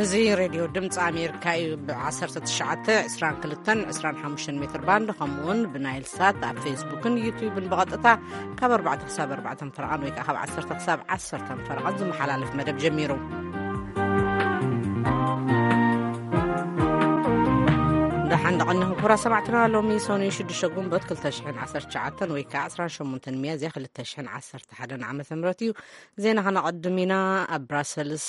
እዚ ሬድዮ ድምፂ ኣሜሪካ እዩ። ብ19፣ 22፣ 25 ሜትር ባንድ፣ ከምኡ እውን ብናይል ሳት ኣብ ፌስቡክን ዩቲዩብን ብቐጥታ ካብ ኣርባዕተ ክሳብ ኣርባዕተ ፈረቓን ወይ ከዓ ካብ ዓሰርተ ክሳብ ዓሰርተ ፈረቓን ዝመሓላለፍ መደብ ጀሚሩ። ደሓን ደቐንኹም ክቡራት ሰማዕትና፣ ሎሚ ሰኑይ ሽዱሽተ ግንቦት ክልተ ሽሕን ዓሰርተ ትሽዓተን ወይ ከዓ ዕስራን ሸሞንተን ሚያዝያ ክልተ ሽሕን ዓሰርተ ሓደን ዓመተ ምህረት እዩ። ዜና ከነቐድም ኢና። ኣብ ብራሰልስ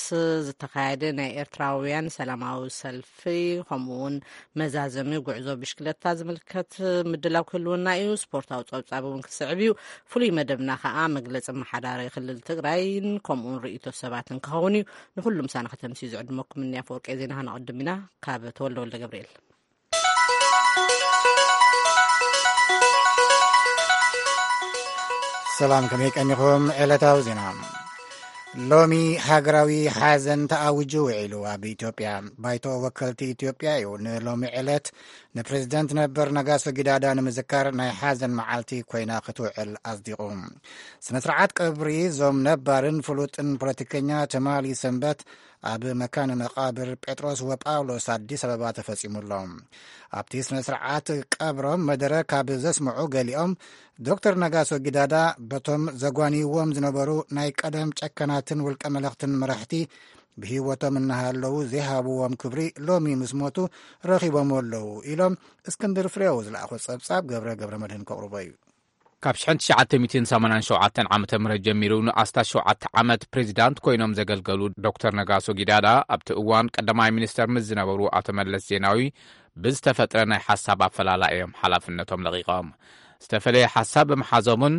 ዝተኻየደ ናይ ኤርትራውያን ሰላማዊ ሰልፊ፣ ከምኡ እውን መዛዘሚ ጉዕዞ ብሽክለታ ዝምልከት ምድላው ክህልወና እዩ። ስፖርታዊ ጸብጻብ እውን ክስዕብ እዩ። ፍሉይ መደብና ከኣ መግለጺ ኣመሓዳሪ ክልል ትግራይን ከምኡ እውን ርእይቶ ሰባትን ክኸውን እዩ። ንኹሉ ምሳና ከተምስዩ ዝዕድመኩም እኒ ኣፈወርቂ ዜና ከነቐድም ኢና። ካብ ተወልደ ወልደ ገብርኤል። ሰላም፣ ከመይ ቀኒኹም? ዕለታዊ ዜና። ሎሚ ሃገራዊ ሓዘን ተኣዊጁ ውዒሉ ኣብ ኢትዮጵያ። ባይቶ ወከልቲ ኢትዮጵያ እዩ ንሎሚ ዕለት ንፕሬዝደንት ነበር ነጋሶ ጊዳዳ ንምዝካር ናይ ሓዘን መዓልቲ ኮይና ክትውዕል ኣጽዲቑ። ስነ ስርዓት ቀብሪ እዞም ነባርን ፍሉጥን ፖለቲከኛ ትማሊ ሰንበት ኣብ መካነ መቃብር ጴጥሮስ ወጳውሎስ ኣዲስ ኣበባ ተፈጺሙ ኣሎ። ኣብቲ ስነ ስርዓት ቀብሮም መደረ ካብ ዘስምዑ ገሊኦም፣ ዶክተር ነጋሶ ጊዳዳ በቶም ዘጓንይዎም ዝነበሩ ናይ ቀደም ጨካናትን ውልቀ መለኽትን መራሕቲ ብህይወቶም እናሃለዉ ዘይሃብዎም ክብሪ ሎሚ ምስ ሞቱ ረኺቦም ኣለዉ ኢሎም። እስክንድር ፍሬው ዝለኣኾ ጸብጻብ ገብረ ገብረ መድህን ከቕርቦ እዩ። ካብ ሽሕን ትሽዓተ ሚእትን ሰማንያን ሸውዓተን ዓመተ ምህረት ጀሚሩ ንኣስታት ሸውዓተ ዓመት ፕሬዚዳንት ኮይኖም ዘገልገሉ ዶክተር ነጋሶ ጊዳዳ፣ ኣብቲ እዋን ቀዳማይ ሚኒስተር ምስ ዝነበሩ ኣቶ መለስ ዜናዊ ብዝተፈጥረ ናይ ሓሳብ ኣፈላላ እዮም ሓላፍነቶም ለቒቖም። ዝተፈለየ ሓሳብ ብምሓዞምን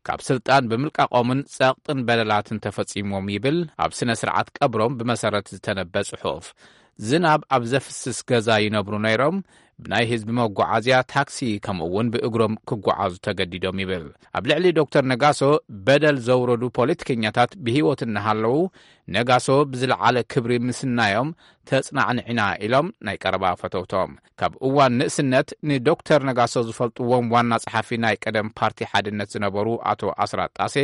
ካብ ስልጣን ብምልቃቖምን ጸቕጥን በደላትን ተፈጺሞም ይብል ኣብ ስነ ስርዓት ቀብሮም ብመሰረት ዝተነበ ጽሑፍ። ዝናብ ኣብ ዘፍስስ ገዛ ይነብሩ ነይሮም። ብናይ ህዝቢ መጓዓዝያ፣ ታክሲ፣ ከምኡ እውን ብእግሮም ክጓዓዙ ተገዲዶም ይብል። ኣብ ልዕሊ ዶክተር ነጋሶ በደል ዘውረዱ ፖለቲከኛታት ብህይወት እናሃለዉ፣ ነጋሶ ብዝለዓለ ክብሪ ምስናዮም ተጽናዕንዕና ኢሎም ናይ ቀረባ ፈተውቶም። ካብ እዋን ንእስነት ንዶክተር ነጋሶ ዝፈልጥዎም ዋና ጸሓፊ ናይ ቀደም ፓርቲ ሓድነት ዝነበሩ ኣቶ ኣስራት ጣሴ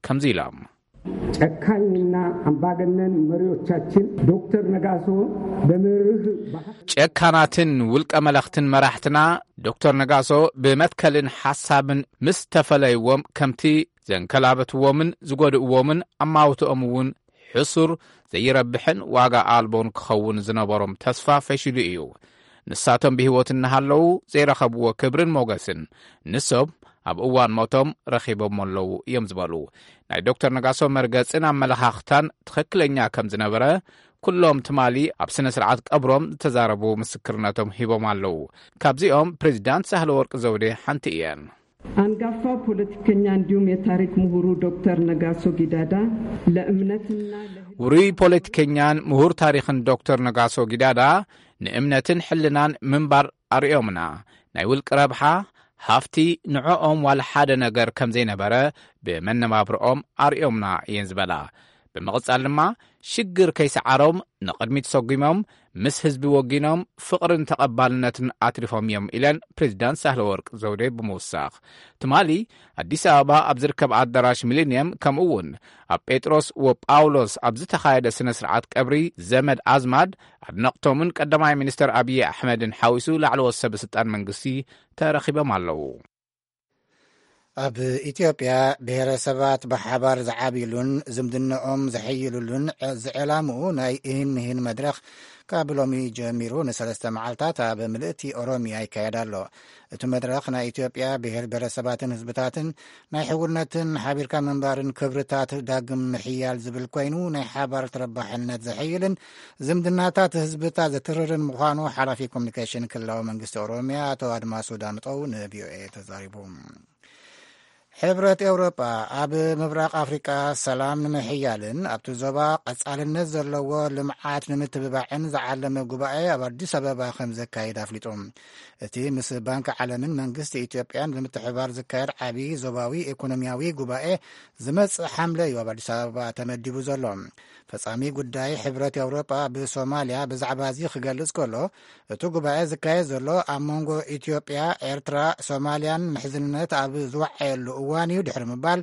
ከምዚ ኢሎም። ጨካኝና ኣምባገነን መሪዎቻችን ዶክተር ነጋሶ በመርህ ባህል ጨካናትን ውልቀ መለኽትን መራሕትና ዶክተር ነጋሶ ብመትከልን ሓሳብን ምስ ተፈለይዎም፣ ከምቲ ዘንከላበትዎምን ዝጎድእዎምን ኣማውትኦም እውን ሕሱር፣ ዘይረብሕን ዋጋ ኣልቦን ክኸውን ዝነበሮም ተስፋ ፈሺሉ እዩ። ንሳቶም ብህይወት እናሃለዉ ዘይረኸብዎ ክብርን ሞገስን ንሶም ኣብ እዋን ሞቶም ረኺቦም ኣለዉ እዮም ዝበሉ። ናይ ዶክተር ነጋሶ መርገጽን ኣመለኻኽታን ትኽክለኛ ከም ዝነበረ ኩሎም ትማሊ ኣብ ስነ ስርዓት ቀብሮም ዝተዛረቡ ምስክርነቶም ሂቦም ኣለዉ። ካብዚኦም ፕሬዚዳንት ሳህለ ወርቅ ዘውዴ ሓንቲ እየን። አንጋፋ ፖለቲከኛ እንዲሁም የታሪክ ምሁሩ ዶክተር ነጋሶ ጊዳዳ ለእምነትና ለህግ ውሩይ ፖለቲከኛን ምሁር ታሪኽን ዶክተር ነጋሶ ጊዳዳ ንእምነትን ሕልናን ምንባር ኣርእዮምና። ናይ ውልቂ ረብሓ፣ ሃፍቲ ንዕኦም ዋላ ሓደ ነገር ከም ዘይነበረ ብመነባብርኦም ኣርእዮምና እየን ዝበላ። ብምቕጻል ድማ ሽግር ከይሰዓሮም ንቕድሚት ሰጒሞም ምስ ህዝቢ ወጊኖም ፍቕርን ተቐባልነትን ኣትሪፎም እዮም ኢለን ፕሬዚዳንት ሳህለ ወርቅ ዘውዴ ብምውሳኽ። ትማሊ ኣዲስ ኣበባ ኣብ ዝርከብ ኣዳራሽ ሚሊንየም ከምኡ እውን ኣብ ጴጥሮስ ወጳውሎስ ኣብ ዝተኻየደ ስነ ስርዓት ቀብሪ ዘመድ ኣዝማድ ኣድነቕቶምን ቀዳማይ ሚኒስተር ኣብዪ ኣሕመድን ሓዊሱ ላዕለዎት ሰበ ስልጣን መንግስቲ ተረኺቦም ኣለዉ። ኣብ ኢትዮጵያ ብሔረሰባት ብሓባር ዝዓብይሉን ዝምድናኦም ዘሐይሉሉን ዝዕላምኡ ናይ እህን ምህን መድረኽ ካብ ሎሚ ጀሚሩ ንሰለስተ መዓልታት ኣብ ምልእቲ ኦሮሚያ ይካየድ ኣሎ። እቲ መድረኽ ናይ ኢትዮጵያ ብሔር ብሔረሰባትን ህዝብታትን ናይ ሕውነትን ሓቢርካ ምንባርን ክብርታት ዳግም ምሕያል ዝብል ኮይኑ ናይ ሓባር ተረባሕነት ዘሐይልን ዝምድናታት ህዝብታት ዘትርርን ምዃኑ ሓላፊ ኮሚኒኬሽን ክልላዊ መንግስቲ ኦሮሚያ ኣቶ ኣድማሱ ዳምጠው ንቪኦኤ ተዛሪቡ። ሕብረት ኤውሮጳ ኣብ ምብራቕ ኣፍሪቃ ሰላም ንምሕያልን ኣብቲ ዞባ ቀጻልነት ዘለዎ ልምዓት ንምትብባዕን ዝዓለመ ጉባኤ ኣብ ኣዲስ ኣበባ ከም ዘካይድ ኣፍሊጡ። እቲ ምስ ባንክ ዓለምን መንግስቲ ኢትዮጵያን ብምትሕብባር ዝካየድ ዓቢ ዞባዊ ኢኮኖሚያዊ ጉባኤ ዝመጽእ ሓምለ እዩ ኣብ ኣዲስ ኣበባ ተመዲቡ ዘሎ። ፈጻሚ ጉዳይ ሕብረት ኤውሮጳ ብሶማልያ ብዛዕባ እዚ ክገልጽ ከሎ፣ እቲ ጉባኤ ዝካየድ ዘሎ ኣብ መንጎ ኢትዮጵያ፣ ኤርትራ፣ ሶማልያን ምሕዝነት ኣብ ዝወዓየሉ እዋን እዩ ድሕሪ ምባል፣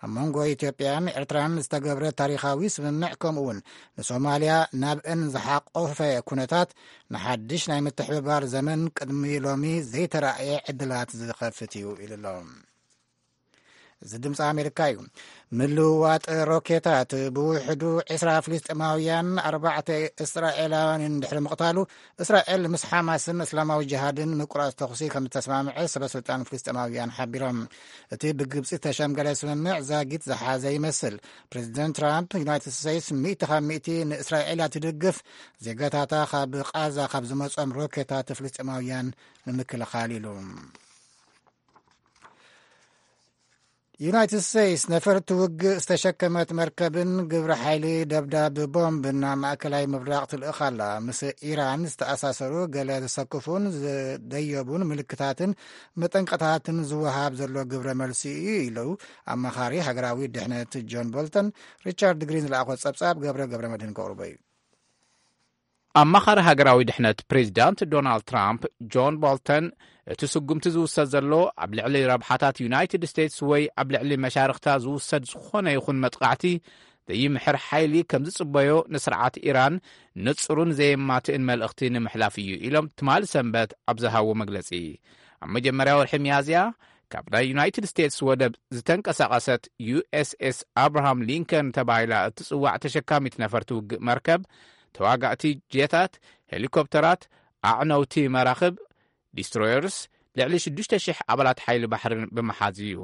ኣብ መንጎ ኢትዮጵያን ኤርትራን ዝተገብረ ታሪኻዊ ስምምዕ፣ ከምኡ እውን ንሶማልያ ናብአን ዝሓቆፈ ኩነታት፣ ንሓድሽ ናይ ምትሕብባር ዘመን ቅድሚ ሎሚ ዘይተራእየ ዕድላት ዝኸፍት እዩ ኢሉ ኣሎ። እዚ ድምፂ ኣሜሪካ እዩ። ምልውዋጥ ሮኬታት፣ ብውሕዱ ዕስራ ፍልስጤማውያን፣ ኣርባዕተ እስራኤላውያንን ድሕሪ ምቕታሉ፣ እስራኤል ምስ ሓማስን እስላማዊ ጅሃድን ምቁራፅ ተኹሲ ከም ዝተስማምዐ ሰበ ስልጣን ፍልስጤማውያን ሓቢሮም። እቲ ብግብፂ ዝተሸምገለ ስምምዕ ዛጊት ዝሓዘ ይመስል። ፕሬዚደንት ትራምፕ፣ ዩናይትድ ስቴትስ ሚእቲ ካብ ሚእቲ ንእስራኤል እያ ትድግፍ፣ ዜጋታታ ካብ ቃዛ ካብ ዝመጾም ሮኬታት ፍልስጤማውያን ንምክልኻል ኢሉ። ዩናይትድ ስቴትስ ነፈርቲ ውግእ ዝተሸከመት መርከብን ግብረ ሓይሊ ደብዳብ ቦምብን ናብ ማእከላይ ምብራቕ ትልእኽ ኣላ። ምስ ኢራን ዝተኣሳሰሩ ገለ ዘሰክፉን ዝደየቡን ምልክታትን መጠንቀታትን ዝወሃብ ዘሎ ግብረ መልሲ እዩ ኢሉ ኣማኻሪ ሃገራዊ ድሕነት ጆን ቦልተን። ሪቻርድ ግሪን ዝለኣኾ ጸብጻብ ገብረ ገብረ መድህን ከቕርቦ እዩ። ኣማኻሪ ሃገራዊ ድሕነት ፕሬዚዳንት ዶናልድ ትራምፕ ጆን ቦልተን፣ እቲ ስጉምቲ ዝውሰድ ዘሎ ኣብ ልዕሊ ረብሓታት ዩናይትድ ስቴትስ ወይ ኣብ ልዕሊ መሻርኽታ ዝውሰድ ዝኾነ ይኹን መጥቃዕቲ ዘይምሕር ሓይሊ ከም ዝጽበዮ ንስርዓት ኢራን ንጹርን ዘየማትእን መልእኽቲ ንምሕላፍ እዩ ኢሎም ትማሊ ሰንበት ኣብ ዝሃቦ መግለጺ። ኣብ መጀመርያ ወርሒ ሚያዝያ ካብ ናይ ዩናይትድ ስቴትስ ወደብ ዝተንቀሳቐሰት ዩ ኤስ ኤስ ኣብርሃም ሊንከን ተባሂላ እትጽዋዕ ተሸካሚት ነፈርቲ ውግእ መርከብ፣ ተዋጋእቲ ጄታት፣ ሄሊኮፕተራት፣ ኣዕነውቲ መራኽብ፣ ዲስትሮየርስ፣ ልዕሊ ሽዱሽተ ሽሕ ኣባላት ሓይሊ ባሕርን ብምሓዝ እዩ።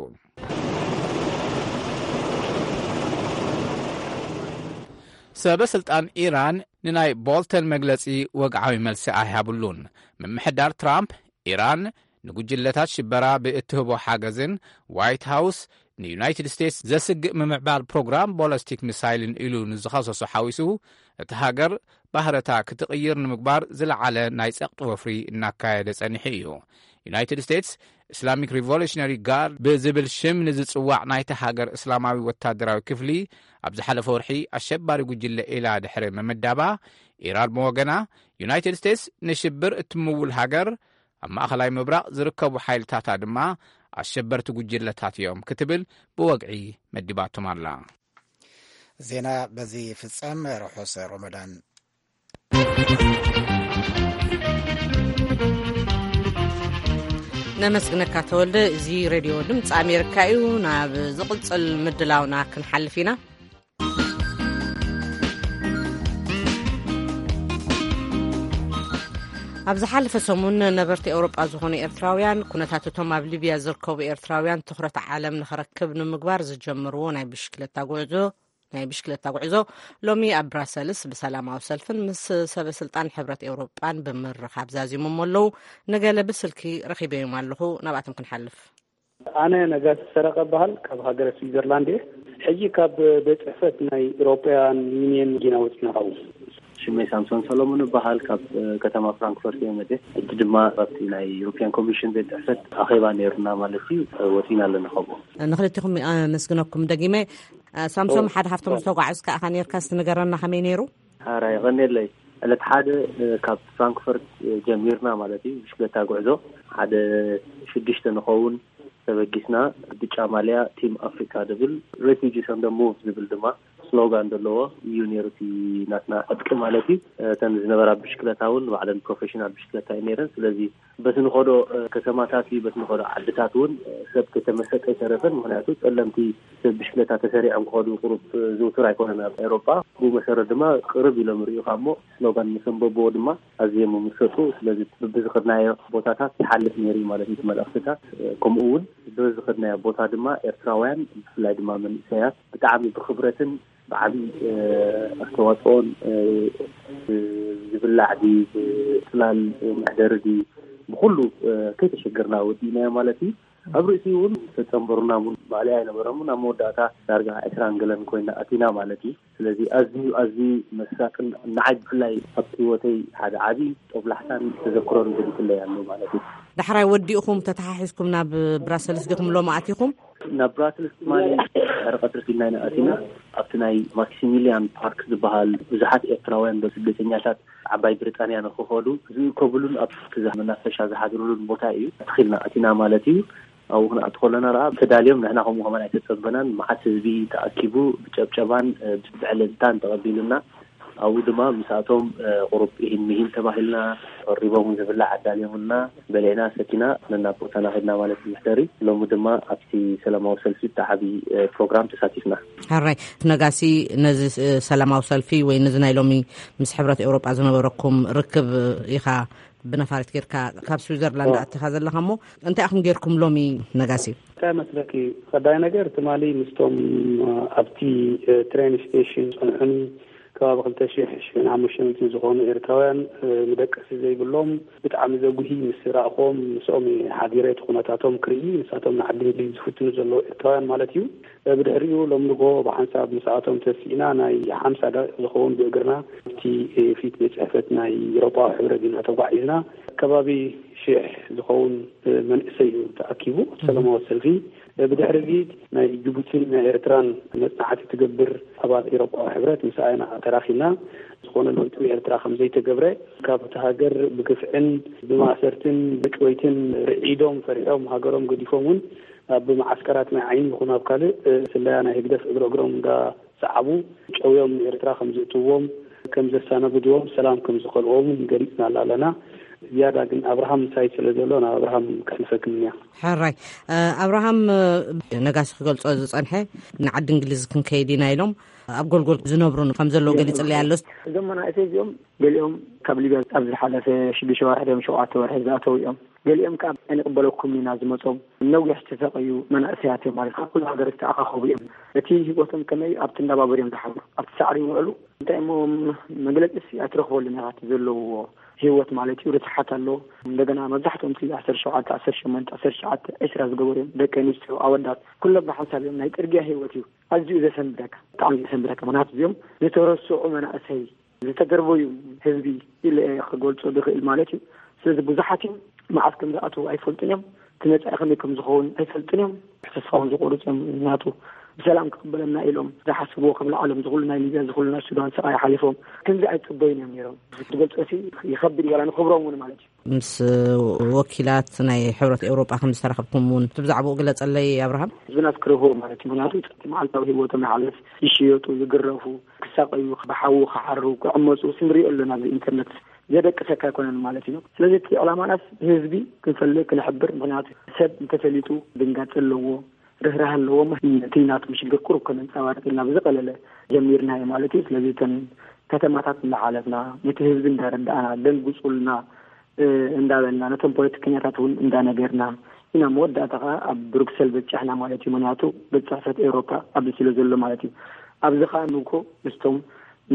ሰበ ስልጣን ኢራን ንናይ ቦልተን መግለጺ ወግዓዊ መልሲ ኣይሃብሉን። ምምሕዳር ትራምፕ፣ ኢራን ንጉጅለታት ሽበራ ብእትህቦ ሓገዝን ዋይት ሃውስ ንዩናይትድ ስቴትስ ዘስግእ ምምዕባል ፕሮግራም ቦለስቲክ ሚሳይልን ኢሉ ንዝኸሰሶ ሓዊሱ፣ እቲ ሃገር ባህረታ ክትቕይር ንምግባር ዝለዓለ ናይ ጸቕጢ ወፍሪ እናካየደ ጸኒሑ እዩ። ዩናይትድ ስቴትስ፣ እስላሚክ ሪቮሉሽነሪ ጋርድ ብዝብል ሽም ንዝጽዋዕ ናይታ ሃገር እስላማዊ ወታደራዊ ክፍሊ፣ ኣብ ዝሓለፈ ወርሒ ኣሸባሪ ጉጅለ ኢላ ድሕሪ ምምዳባ፣ ኢራን ብወገና፣ ዩናይትድ ስቴትስ ንሽብር እትምውል ሃገር፣ ኣብ ማእኸላይ ምብራቕ ዝርከቡ ሓይልታታ ድማ ኣሸበርቲ ጉጅለታት እዮም ክትብል ብወግዒ መዲባቶም ኣላ። ዜና በዚ ይፍጸም። ርሑስ ሮመዳን። ነመስግነካ ተወልደ። እዚ ሬድዮ ድምፂ ኣሜሪካ እዩ። ናብ ዝቕፅል ምድላውና ክንሓልፍ ኢና። ኣብ ዝሓለፈ ሰሙን ነበርቲ ኤውሮጳ ዝኾኑ ኤርትራውያን፣ ኩነታት እቶም ኣብ ሊብያ ዝርከቡ ኤርትራውያን ትኹረት ዓለም ንኽረክብ ንምግባር ዝጀመርዎ ናይ ብሽክለታ ጉዕዞ ናይ ብሽክለታ ጉዕዞ ሎሚ ኣብ ብራሰልስ ብሰላማዊ ሰልፍን ምስ ሰበ ስልጣን ሕብረት ኤውሮጳን ብምርኻብ ዛዚሞም ኣለዉ። ንገለ ብስልኪ ረኺበዮም ኣለኹ። ናብኣቶም ክንሓልፍ። ኣነ ነጋሲ ሰረቐ እበሃል፣ ካብ ሃገረ ስዊዘርላንድ እየ። ሕጂ ካብ ቤት ጽሕፈት ናይ ኢሮጳያን ዩኒየን ጌና ወጺና። ካብኡ ሽመይ ሳምሶን ሰሎሞን እበሃል፣ ካብ ከተማ ፍራንክፈርት እየ መጽእ። ሕጂ ድማ ኣብቲ ናይ ዩሮፒያን ኮሚሽን ቤት ጽሕፈት ኣኼባ ነይሩና ማለት እዩ፣ ወጺና ኣለና ካብኡ። ንክልቲኹም ኣመስግነኩም ደጊመ። ሳምሶም፣ ሓደ ካብቶም ዝተጓዕዝካ ኢኻ ነይርካ፣ እስቲ ንገረና ከመይ ነይሩ? ሓራይ፣ የቐንየለይ። ዕለት ሓደ ካብ ፍራንክፈርት ጀሚርና ማለት እዩ፣ ብሽክለታ ጉዕዞ ሓደ ሽዱሽተ ንኸውን ተበጊስና። ብጫ ማልያ ቲም ኣፍሪካ ዝብል፣ ሬፊጂስ ኦን ደ ሙቭ ዝብል ድማ ስሎጋን ዘለዎ እዩ ነይሩ፣ እቲ ናትና ዕጥቂ ማለት እዩ። እተን ዝነበራ ብሽክለታ እውን ባዕለን ፕሮፌሽናል ብሽክለታ እዩ ነይረን። ስለዚ በቲ ንኸዶ ከተማታት እዩ፣ በቲ ንኸዶ ዓድታት እውን ሰብ ከተመሰጠ ኣይተረፈን። ምክንያቱ ጸለምቲ ሰብ ብሽክለታ ተሰሪዖም ክኸዱ ቁሩብ ዝውቱር ኣይኮነን ኣብ ኤውሮጳ። ብኡ መሰረት ድማ ቅርብ ኢሎም ይርእዩኻ እሞ ስሎጋን ምስ ኣንበብዎ ድማ ኣዝዮም ይምሰጡ። ስለዚ በብዝኸድናዮ ቦታታት ይሓልፍ ነይሩ እዩ ማለት እዩ እቲ መልእኽትታት። ከምኡ እውን በብዝኸድናዮ ቦታ ድማ ኤርትራውያን ብፍላይ ድማ መንእሰያት ብጣዕሚ ብኽብረትን ብዓቢ ኣስተዋጽኦን ዝብላዕ ድዩ፣ ብጽላል መሕደሪ ድዩ፣ ብኹሉ ከይተሸገርና ወዲእናዮ ማለት እዩ። ኣብ ርእሲኡ እውን ዝተጸንበሩና እውን ማእለያ ኣይነበሮምን። ኣብ መወዳእታ ዳርጋ ዕስራን ገለን ኮይና ኣቲና ማለት እዩ። ስለዚ ኣዝዩ፣ ኣዝዩ መሳጥን ንዓይ ብፍላይ ኣብቲ ህይወተይ ሓደ ዓቢ ጦብላሕታን ተዘክሮን ገዲፉለይ ኣሎ ማለት እዩ። ዳሕራይ ወዲእኹም ተተሓሒዝኩም ናብ ብራሰልስ ዲኹም ሎሚ ኣቲኹም? ናብ ብራስልስ ትማሊ ድሕሪ ቀትሪ ፊልና ኢና ኣቲና። ኣብቲ ናይ ማክሲሚሊያን ፓርክ ዝበሃል ብዙሓት ኤርትራውያን ስደተኛታት ዓባይ ብሪጣንያ ንክኸዱ ዝእከብሉን ኣብቲ መናፈሻ ዝሓድሩሉን ቦታ እዩ። ኣትኺልና ኣቲና ማለት እዩ። ኣብኡ ክንኣቱ ከለና ደኣ ተዳልዮም፣ ንሕና ከምኡ ከማን ኣይተጸበናን። መዓት ህዝቢ ተኣኪቡ ብጨብጨባን ብዕልልታን ተቐቢሉና። ኣብኡ ድማ ምስኣቶም ቁሩብ ኢሂን ምሂን ተባሂልና፣ ቀሪቦም ዝብላዕ ኣዳልዮምልና፣ በሊዕና ሰቲና ነናብ ቦታና ከድና ማለት እዩ። መሕደሪ ሎሚ ድማ ኣብቲ ሰላማዊ ሰልፊ እቲ ዓቢ ፕሮግራም ተሳቲፍና። ሕራይ ነጋሲ፣ ነዚ ሰላማዊ ሰልፊ ወይ ነዚ ናይ ሎሚ ምስ ሕብረት ኤውሮጳ ዝነበረኩም ርክብ ኢኻ ብነፋሪት ጌርካ ካብ ስዊዘርላንድ ኣቲኻ ዘለኻ እሞ፣ እንታይ ኢኹም ጌርኩም ሎሚ ነጋሲ? እንታይ መስለኪ፣ ቀዳይ ነገር ትማሊ ምስቶም ኣብቲ ትሬን ስቴሽን ጸንሑኒ ከባቢ ክልተ ሽሕ ሽሕን ሓሙሽተ ሚእትን ዝኾኑ ኤርትራውያን ንደቀሲ ዘይብሎም ብጣዕሚ ዘጉሂ ምስ ረእኾም ምስኦም ሓዲረ እቲ ኩነታቶም ክርኢ፣ ንሳቶም ንዓዲ እንግሊዝ ዝፍትኑ ዘለዉ ኤርትራውያን ማለት እዩ። ብድሕሪኡ ሎም ንጎ ብሓንሳብ ምስኣቶም ተሲእና ናይ ሓምሳ ደቂቕ ዝኸውን ብእግርና ኣብቲ ፊት ቤት ጽሕፈት ናይ ኤውሮጳዊ ሕብረት ኢና ተጓዒዝና። ከባቢ ሽሕ ዝኸውን መንእሰይ እዩ ተኣኪቡ ሰላማዊ ሰልፊ። ብድሕሪ እዚ ናይ ጅቡቲን ናይ ኤርትራን መጽናዕቲ ትገብር ኣባል ኤውሮጳዊ ሕብረት ምስኣ ኢና ተራኺብና። ዝኾነ ለውጢ ኤርትራ ከም ዘይተገብረ፣ ካብቲ ሃገር ብግፍዕን ብማእሰርትን ብጭወይትን ርዒዶም ፈሪሖም ሃገሮም ገዲፎም እውን ኣብ መዓስከራት ናይ ዓይኒ ይኹን ኣብ ካልእ ስለያ ናይ ህግደፍ እግረ እግሮም እንዳሰዓቡ ጨውዮም ንኤርትራ ከም ዝእትዎም፣ ከም ዘሳናግድዎም፣ ሰላም ከም ዝኸልዎም ገሊጽናላ ኣለና። ዝያዳ ግን ኣብርሃም ምሳይ ስለ ዘሎ ናብ ኣብርሃም ከሕልፈክም እያ። ሕራይ ኣብርሃም፣ ነጋሲ ክገልጾ ዝጸንሐ ንዓዲ እንግሊዝ ክንከይድ ኢና ኢሎም ኣብ ጎልጎል ዝነብሩ ከም ዘለዉ ገሊጽለይ ኣሎ። እዞም መናእሰይ እዚኦም ገሊኦም ካብ ሊብያ ኣብ ዝሓለፈ ሽዱሽተ ወርሒ ድዮም ሸውዓተ ወርሒ ዝኣተው እዮም። ገሊኦም ከዓ ኣይንቕበለኩም ኢና ዝመጾም ነዊሕ ዝተሰቀዩ መናእሰያት እዮም ማለት ካብ ኩሉ ሃገር ዝተኣኻኸቡ እዮም። እቲ ህይወቶም ከመይ ኣብቲ እንዳባበሩ እዮም ዝሓብሩ ኣብቲ ሳዕሪ ይውዕሉ። እንታይ እሞ መግለጺ ሲ ኣይትረኽበሉን ኢኻ እቲ ዘለውዎ ህይወት ማለት እዩ። ርትሓት ኣሎ። እንደገና መብዛሕትኦም እቲ ዓሰርተ ሸውዓተ ዓሰርተ ሸሞንተ ዓሰርተ ትሽዓተ ዕስራ ዝገበሩ እዮም። ደቂ ኣንስትዮ ኣወዳት ኩሎም ብሓንሳብ እዮም። ናይ ጽርግያ ህይወት እዩ። ኣዝዩ ዘሰንብደካ፣ ብጣዕሚ ዘሰንብደካ። ምክንያቱ እዚኦም ዝተረስዑ መናእሰይ ዝተደርበዩ ህዝቢ ኢለ እየ ክገልጾ ዝኽእል ማለት እዩ። ስለዚ ብዙሓት እዮም መዓስ ከም ዝኣትዉ ኣይፈልጡን እዮም። እቲ መጻኢ ከመይ ከም ዝኸውን ኣይፈልጡን እዮም። ተስፋ እውን ዝቆርጹ እዮም። ምክንያቱ ብሰላም ክቕበለና ኢሎም ዝሓስብዎ ከም ለዓሎም ዝኹሉ ናይ ሊብያ ዝኹሉ ናይ ሱዳን ስቓይ ሓሊፎም ከምዚ ኣይጽበዩን እዮም ነይሮም። ዝገልጾ ሲ ይኸብድ እዩ ዋላ ንኽብሮም እውን ማለት እዩ። ምስ ወኪላት ናይ ሕብረት ኤውሮጳ ከም ዝተራኸብኩም እውን እቲ ብዛዕባኡ ግለጸለይ ኣብርሃም። ህዝብና ዝክርህዎ ማለት እዩ። ምክንያቱ እቲ መዓልታዊ ህይወቶም ይሓልፍ፣ ይሽየጡ፣ ይግረፉ፣ ክሳቀዩ፣ ብሓዊ ክሓሩ፣ ክዕመፁ ንሪኦ ኣለና። ኣብዚ ኢንተርነት ዘደቅሰካ ኣይኮነን ማለት እዩ። ስለዚ እቲ ዕላማናስ ህዝቢ ክንፈልጥ ክንሕብር፣ ምክንያቱ ሰብ እንተፈሊጡ ድንጋፂ ኣለዎ፣ ርህራህ ኣለዎ። እቲ ናቶም ሽግር ቁሩብ ከነንፀባርቅ ኢልና ብዝቀለለ ጀሚርናዮ ማለት እዩ። ስለዚ እተን ከተማታት እንዳሓለፍና ነቲ ህዝቢ እንዳረዳእና ደንግፁልና እንዳበልና ነቶም ፖለቲከኛታት እውን እንዳነገርና ኢና። መወዳእታ ከዓ ኣብ ብሩክሰል በጫሕና ማለት እዩ። ምክንያቱ ቤት ጽሕፈት ኤውሮፓ ኣብዚ ስለ ዘሎ ማለት እዩ። ኣብዚ ከዓ ንኮ ምስቶም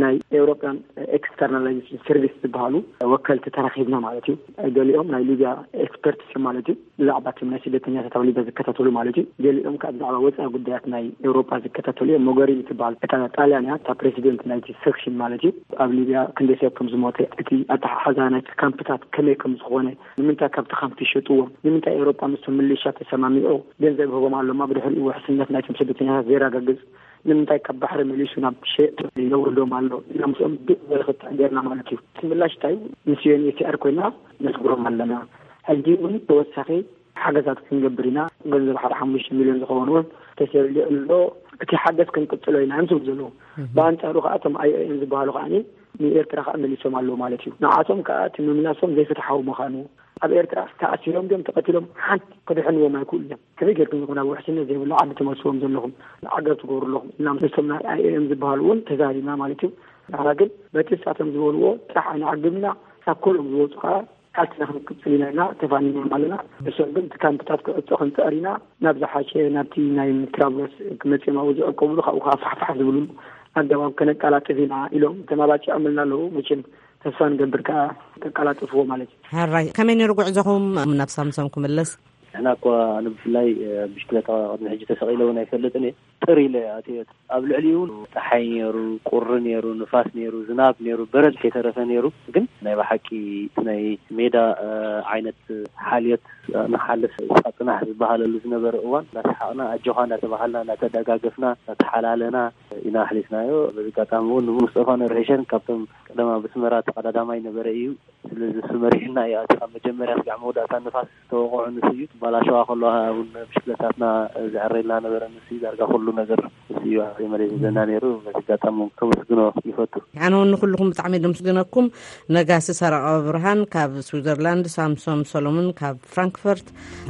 ናይ ኤውሮፓን ኤክስተርናላይዜሽን ሰርቪስ ዝበሃሉ ወከልቲ ተራኺብና ማለት እዩ። ገሊኦም ናይ ሊብያ ኤክስፐርትስ እዮም ማለት እዩ። ብዛዕባ እቶም ናይ ስደተኛታት ኣብ ሊብያ ዝከታተሉ ማለት እዩ። ገሊኦም ከዓ ብዛዕባ ወፃኢ ጉዳያት ናይ ኤውሮፓ ዝከታተሉ እዮም። ሞገሪኒ ትበሃል እታ ጣልያን እያ፣ እታ ፕሬዚደንት ናይቲ ሴክሽን ማለት እዩ። ኣብ ሊብያ ክንደይ ሰብ ከም ዝሞተ፣ እቲ ኣተሓሓዛ ናይቲ ካምፕታት ከመይ ከም ዝኾነ፣ ንምንታይ ካብቲ ካምፕ ይሸጥዎም፣ ንምንታይ ኤውሮጳ ምስቶም ምሊሻ ተሰማሚዑ ገንዘብ ይህቦም ኣሎ፣ እሞ ብድሕሪኡ ውሕስነት ናይቶም ስደተኛታት ዘየረጋግጽ፣ ንምንታይ ካብ ባሕሪ መሊሱ ናብ ሸየጥቲ የውርዶም ኣሎ ኢልና ምስኦም ድቕ ዝበለ ክትዕ ጌርና ማለት እዩ። እቲ ምላሽ እንታይ እዩ? ምስ ዩ ኤን ኤች ሲ ኣር ኮይና ነስግሮም ኣለና። ሕጂ እውን ተወሳኺ ሓገዛት ክንገብር ኢና። ገንዘብ ሓደ ሓሙሽተ ሚልዮን ዝኸውን እውን ተሰሊዑ ኣሎ። እቲ ሓገዝ ክንቅጽሎ ኢና እዮም ዝብሉ ዘለዉ። ብኣንጻሩ ከኣ እቶም ኣይ ኦ ኤም ዝበሃሉ ከኣ ንኤርትራ ከኣ መሊሶም ኣለዉ ማለት እዩ። ንዓቶም ከኣ እቲ ምምላሶም ዘይፍትሓዊ ምዃኑ፣ ኣብ ኤርትራ ተኣሲሮም ድዮም ተቐቲሎም ሓንቲ ክድሕንዎም ኣይክእሉ እዮም። ከመይ ጌርኩም ኢኹም ናብ ውሕስነት ዘይብሉ ዓዲ ትመልስዎም ዘለኹም፣ ዓገብ ትገብሩ ኣለኹም ኢልና ምስቶም ናይ ኣይ ኦ ኤም ዝበሃሉ እውን ተዛሪብና ማለት እዩ። ንሕና ግን በቲ ንሳቶም ዝበልዎ ጥራሕ ኣይንዓግብ ኢና፣ ካብ ኩሎም ዝወፁ ከኣ ቃልስና ክንቅጽል ኢና ኢልና ተፋኒኖም ኣለና። ንሶም ግን እቲ ካምፕታት ክዕጾ ክንጽዕር ኢና፣ ናብ ዝሓሸ ናብቲ ናይ ትራብሎስ ክመጽኦም ኣብኡ ዝዕቀብሉ ካብኡ ከዓ ፋሕፋሕ ዝብሉሉ ኣገባብ ከነቀላጥፍ ኢና ኢሎም ተማባጺዖምልና ኣለዉ። መቸም ተስፋ ንገብር ከዓ ከቀላጥፍዎ ማለት እዩ። ሕራይ ከመይ ነይሩ ጉዕዞኹም ናብ ሳምሶም ክምለስ? ንሕና እኳ ኣነ ብፍላይ ብሽክለታ ቅድሚ ሕጂ ተሰቒለ እውን ኣይፈልጥን እየ። ጥር ኢለ ኣትየት ኣብ ልዕሊኡ እውን ፀሓይ ነይሩ፣ ቁሪ ነይሩ፣ ንፋስ ነይሩ፣ ዝናብ ነይሩ፣ በረድ ከይተረፈ ነይሩ። ግን ናይ ብሓቂ እቲ ናይ ሜዳ ዓይነት ሓልዮት ንሓልፍ ሳጥናሕ ዝበሃለሉ ዝነበረ እዋን እናሰሓቕና ኣጆኻ እናተባሃልና እናተደጋገፍና እናተሓላለና ኢና ኣሕሊፍናዮ። በዚ ኣጋጣሚ እውን ንሙስጠፋ ነርሒሸን ካብቶም ቀደማ ብስመራ ተቐዳዳማይ ነበረ እዩ። ስለዚ እሱ መሪሕና እዩ። ኣቲ ካብ መጀመርያ ስጋዕ መወዳእታ ንፋስ ዝተወቕዖ ንሱ እዩ። ባላሸዋ ከለዋ እውን ብሽክለታትና ዘዕረልና ነበረ ንሱ እዩ። ዳርጋ ኩሉ ነገር ንሱ እዩ። ኣቲ መሬት ዘና ነይሩ። በዚ ኣጋጣሚ እውን ከመስግኖ ይፈቱ። ኣነ እውን ንኩልኩም ብጣዕሚ ደምስግነኩም። ነጋሲ ሰረቐ ብርሃን ካብ ስዊዘርላንድ፣ ሳምሶም ሰሎሞን ካብ ፍራንክፈርት፣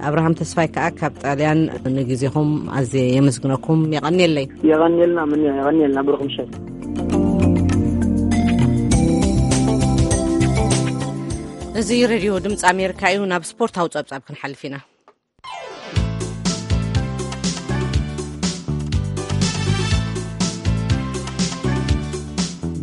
ኣብርሃም ተስፋይ ከኣ ካብ ጣልያን። ንግዜኹም ኣዝየ የመስግነኩም። የቐንየለይ። የቐንየልና። ምን የቐንየልና። ብሩኽ ምሸት። እዚ ሬድዮ ድምፂ ኣሜሪካ እዩ። ናብ ስፖርታዊ ጸብጻብ ክንሓልፍ ኢና።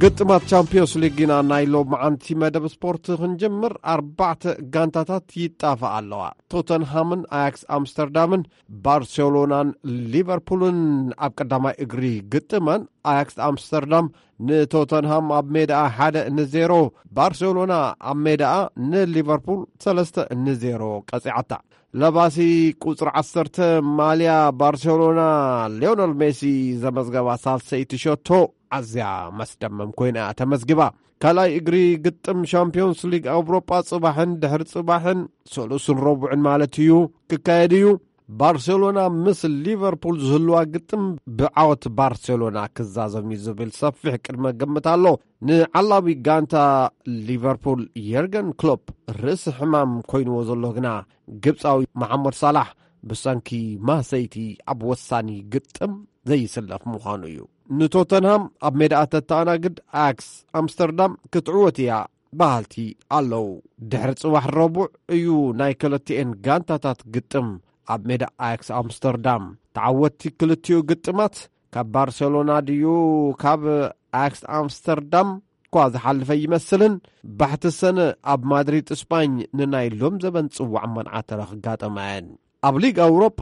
ግጥማት ቻምፒዮንስ ሊግ ኢና ናይ ሎማዓንቲ መደብ ስፖርት ክንጅምር። ኣርባዕተ ጋንታታት ይጣፋ ኣለዋ። ቶተንሃምን ኣያክስ ኣምስተርዳምን፣ ባርሴሎናን ሊቨርፑልን ኣብ ቀዳማይ እግሪ ግጥመን፣ ኣያክስ ኣምስተርዳም ንቶተንሃም ኣብ ሜዳኣ ሓደ ንዜሮ፣ ባርሴሎና ኣብ ሜዳኣ ንሊቨርፑል ሰለስተ ንዜሮ ቀጺዓታ። ለባሲ ቁጽሪ ዓሰርተ ማልያ ባርሴሎና፣ ሊዮነል ሜሲ ዘመዝገባ ሳልሰይቲ ሸቶ ኣዝያ መስደመም ኮይና እያ ተመዝጊባ። ካልኣይ እግሪ ግጥም ሻምፒዮንስ ሊግ ኣውሮጳ ጽባሕን ድሕሪ ጽባሕን፣ ሰሉስን ረቡዕን ማለት እዩ፣ ክካየድ እዩ። ባርሴሎና ምስ ሊቨርፑል ዝህልዋ ግጥም ብዓወት ባርሴሎና ክዛዘም እዩ ዝብል ሰፊሕ ቅድመ ግምት ኣሎ። ንዓላዊ ጋንታ ሊቨርፑል የርገን ክሎፕ ርእሲ ሕማም ኮይንዎ ዘሎ ግና፣ ግብጻዊ መሓመድ ሳላሕ ብሰንኪ ማሰይቲ ኣብ ወሳኒ ግጥም ዘይስለፍ ምዃኑ እዩ። ንቶተንሃም ኣብ ሜዳኣ ተተኣናግድ ኣያክስ ኣምስተርዳም ክትዕወት እያ በሃልቲ ኣለዉ። ድሕሪ ጽባሕ ረቡዕ እዩ ናይ ክልቲኤን ጋንታታት ግጥም ኣብ ሜዳ ኣያክስ ኣምስተርዳም። ተዓወትቲ ክልቲኡ ግጥማት ካብ ባርሴሎና ድዩ ካብ ኣያክስ ኣምስተርዳም እኳ ዝሓልፈ ይመስልን፣ ባሕቲ ሰነ ኣብ ማድሪድ ስጳኝ ንናይ ሎም ዘበን ጽዋዕ መንዓተረ ክጋጠማ እየን። ኣብ ሊግ ኣውሮጳ፣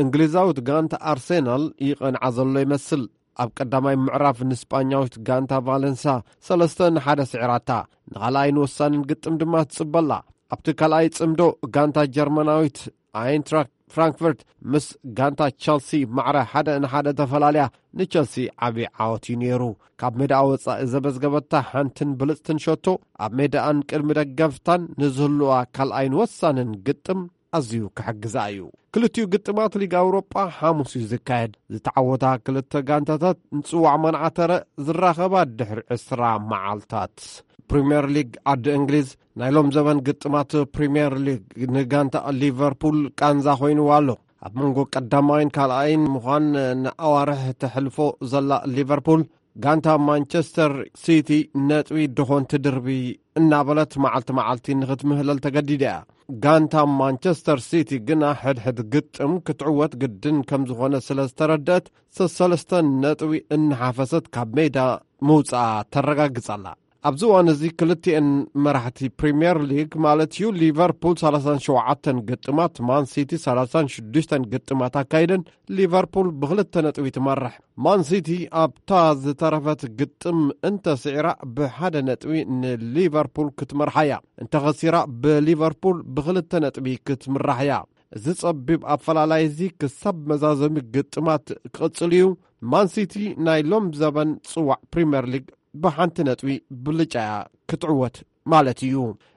እንግሊዛዊት ጋንታ ኣርሴናል ይቐንዓ ዘሎ ይመስል። ኣብ ቀዳማይ ምዕራፍ ንስጳኛዊት ጋንታ ቫለንሳ ሰለስተ ንሓደ ስዒራታ። ንኻልኣይን ወሳንን ግጥም ድማ ትጽበላ። ኣብቲ ካልኣይ ጽምዶ፣ ጋንታ ጀርመናዊት ኣይንትራክት ፍራንክፈርት ምስ ጋንታ ቸልሲ ማዕረ ሓደ ንሓደ ተፈላልያ፣ ንቸልሲ ዓቢ ዓወት እዩ ነይሩ። ካብ ሜዳኣ ወጻኢ ዘመዝገበታ ሓንትን ብልጽትን ሸቶ፣ ኣብ ሜዳኣን ቅድሚ ደገፍታን ንዝህልዋ ካልኣይን ወሳንን ግጥም ኣዝዩ ክሕግዛ እዩ። ክልቲኡ ግጥማት ሊግ ኣውሮጳ ሓሙስ እዩ ዝካየድ። ዝተዓወታ ክልተ ጋንታታት ንጽዋዕ መንዓተረ ዝራኸባ ድሕሪ ዕስራ መዓልታት። ፕሪምየር ሊግ ዓዲ እንግሊዝ፣ ናይ ሎም ዘበን ግጥማት ፕሪምየር ሊግ ንጋንታ ሊቨርፑል ቃንዛ ኮይንዋ ኣሎ። ኣብ መንጎ ቀዳማይን ካልኣይን ምዃን ንኣዋርሕ ተሕልፎ ዘላ ሊቨርፑል፣ ጋንታ ማንቸስተር ሲቲ ነጥቢ ድኾን ትድርቢ እናበለት መዓልቲ መዓልቲ ንኽትምህለል ተገዲዳ እያ። ጋንታ ማንቸስተር ሲቲ ግና ሕድሕድ ግጥም ክትዕወት ግድን ከም ዝኾነ ስለ ዝተረድአት፣ ሰሰለስተ ነጥቢ እናሓፈሰት ካብ ሜዳ ምውፅኣ ተረጋግፅ ኣላ። ኣብዚ እዋን እዚ ክልቲኤን መራሕቲ ፕሪምየር ሊግ ማለት እዩ፣ ሊቨርፑል ሰላሳን ሸውዓተን ግጥማት፣ ማን ሲቲ ሰላሳን ሽዱሽተን ግጥማት ኣካይደን፣ ሊቨርፑል ብክልተ ነጥቢ ትመርሕ። ማን ሲቲ ኣብታ ዝተረፈት ግጥም እንተስዒራ ብሓደ ነጥቢ ንሊቨርፑል ክትመርሓ እያ። እንተኸሲራ ብሊቨርፑል ብክልተ ነጥቢ ክትምራሕ እያ። እዚ ጸቢብ ኣፈላላይ እዚ ክሳብ መዛዘሚ ግጥማት ክቕጽል እዩ። ማን ሲቲ ናይ ሎም ዘበን ጽዋዕ ፕሪምየር ሊግ ብሓንቲ ነጥቢ ብልጫ እያ ክትዕወት ማለት እዩ።